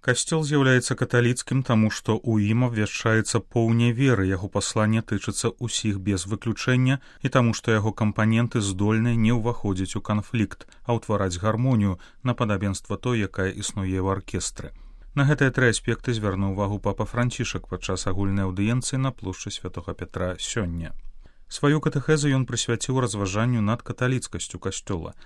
Касцёл з'яўляецца каталіцкім, таму што ў ім абвяшчаецца поўня веры, яго пасланне тычыцца ўсіх без выключэння і таму што яго кампаненты здольны не ўваходзіць у канфлікт, а ўтвараць гармонію на падабенства той, якая існуе ў аркестры. На гэтыя тры аспекты звярнуў увагу папа Францішак падчас агульнай аўдыенцыі на плошчы Святога Пятра сёння. Сваю катэхезу ён прысвяціў разважанню над каталіцкасцю касцёла.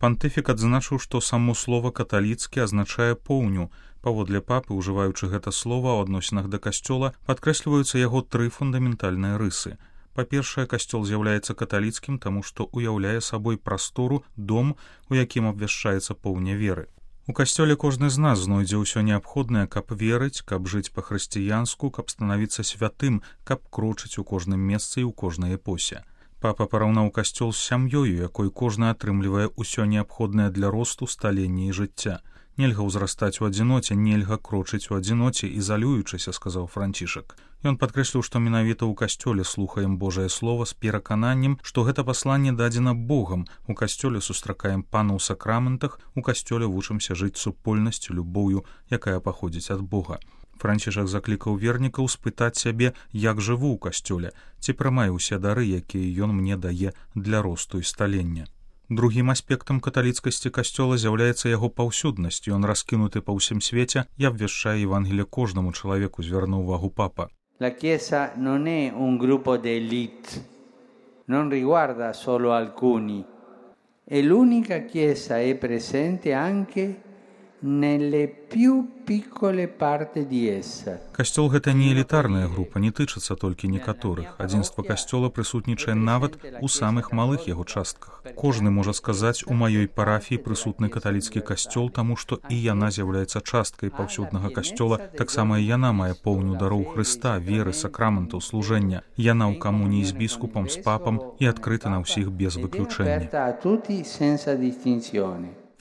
Пантыфік адзначыў, што само слова «каталіцкі» азначае поўню. Паводле папы, ужываючы гэта слова ў адносінах да касцёла, падкрэсліваюцца яго тры фундаментальныя рысы. Па-першае, касцёл з'яўляецца каталіцкім, таму што ўяўляе сабой прастору, дом, у якім абвяшчаецца поўня веры. У касцёле кожны з нас знойдзе ўсё неабходнае, каб верыць, каб жыць па-хрысціянску, каб станавіцца святым, каб крочыць у кожным месцы і ў кожнай эпосе. Папа параўнаў касцёл з сям'ёю, якой кожны атрымлівае ўсё неабходнае для росту, сталення і жыцця. Нельга ўзрастаць у адзіноце, нельга крочыць у адзіноце, ізалюючыся, сказаў Францішак. Ён падкрэсліў, што менавіта ў касцёле слухаем Божае Слова з перакананнем, што гэта пасланне дадзена Богам. У касцёле сустракаем Пана ў сакраментах, у касцёле вучымся жыць супольнасцю, любоўю, якая паходзіць ад Бога. Францішак заклікаў вернікаў спытаць сябе, як жыву ў касцёле, ці прымаю ўсе дары, якія ён мне дае для росту і сталення. Другім аспектам каталіцкасці касцёла з'яўляецца яго паўсюднасць, ён раскінуты па ўсім свеце і абвяшчае Евангелие кожнаму чалавеку, звярнуў увагу папа. La Chiesa non è un gruppo d'élite, non riguarda solo alcuni, e l'unica Chiesa è presente anche nelle più piccole parti di essa. Касцёл гэта не элітарная група, не тычыцца толькі некаторых. Адзінства касцёла прысутнічае нават у самых малых яго частках. Кожны можа сказаць, у маёй парафіі прысутны каталіцкі касцёл, таму што і яна з'яўляецца часткай паўсюднага касцёла, таксама і яна мае поўню дароў Хрыста, веры, сакраментаў, служэння. Яна ў камуніі з біскупам, з папам і адкрыта на ўсіх без выключэння.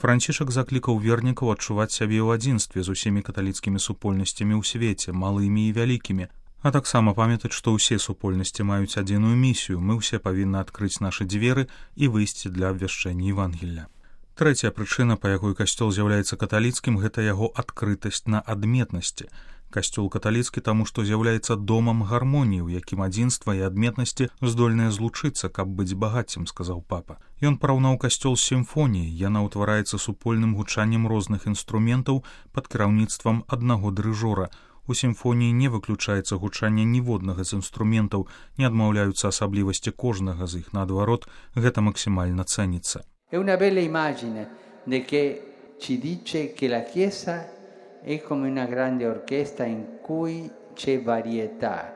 Францішак заклікаў вернікаў адчуваць сябе ў адзінстве з усімі каталіцкімі супольнасцямі ў свеце, малымі і вялікімі, а таксама памятаць, што ўсе супольнасці маюць адзіную місію, мы ўсе павінны адкрыць нашы дзверы і выйсці для абвяшчэння Евангелля. Трэцяя прычына, па якой касцёл з'яўляецца каталіцкім, гэта яго адкрытасць на адметнасці. Касцёл каталіцкі таму, што з'яўляецца домам гармоніі, у якім адзінства і адметнасці здольныя злучыцца, каб быць багаццем, сказаў папа. Ён параўнаў касцёл з сімфоніяй, яна ўтвараецца супольным гучаннем розных інструментаў пад кіраўніцтвам аднаго дырыжора. У сімфоніі не выключаецца гучанне ніводнага з інструментаў, не адмаўляюцца асаблівасці кожнага з іх, наадварот, гэта максімальна цэніцца. È una bella immagine che ci dice che la Chiesa è come una grande orchestra in cui c'è varietà.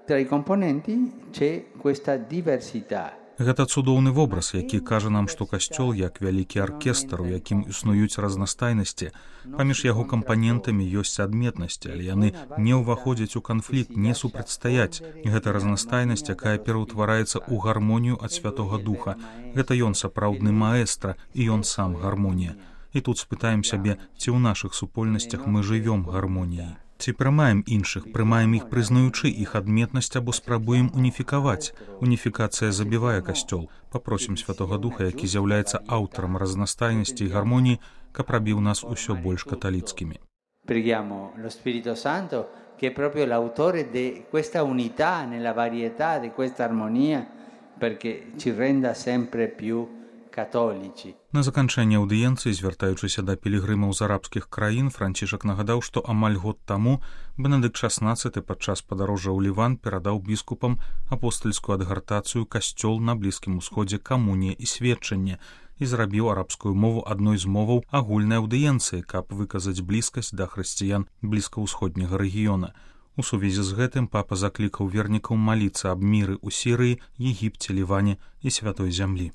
Tra i componenti c'è questa diversità. Гэта цудоўны вобраз, які кажа нам, што касцёл як вялікі аркестр, у якім існуюць разнастайнасці. Паміж яго кампанентамі ёсць адметнасці, але яны не ўваходзяць у канфлікт, не супрацьстаяць. Гэта разнастайнасць, якая пераўтвараецца ў гармонію ад Святога Духа. Гэта ён сапраўдны маэстра, і ён сам гармонія. І тут спытаем сябе, ці ў нашых супольнасцях мы жывём гармоніяй. Ці прымаем іншых, прымаем іх, прызнаючы іх адметнасць, або спрабуем уніфікаваць. Уніфікацыя забівае касцёл. Папросім Святога Духа, які з'яўляецца аўтарам разнастайнасці і гармоніі, каб рабіў нас усё больш каталіцкімі. Preghiamo lo Spirito Santo, che è proprio l'autore di questa unità nella varietà, di questa armonia, perché ci renda sempre più католіці. На заканчэнне аўдыенцыі, звяртаючыся да пілігрымаў з арабскіх краін, Францішак нагадаў, што амаль год таму Бенедыкт XVI падчас падарожжа ў Ліван перадаў біскупам апостальскую адгартацыю «Касцёл на Блізкім Усходзе, камунія і сведчанне» і зрабіў арабскую мову адной з моваў агульнай аўдыенцыі, каб выказаць блізкасць да хрысціян блізкаўсходняга рэгіёна. У сувязі з гэтым папа заклікаў вернікаў маліцца аб міры ў Сірыі, Егіпце, Ліване і Святой зямлі.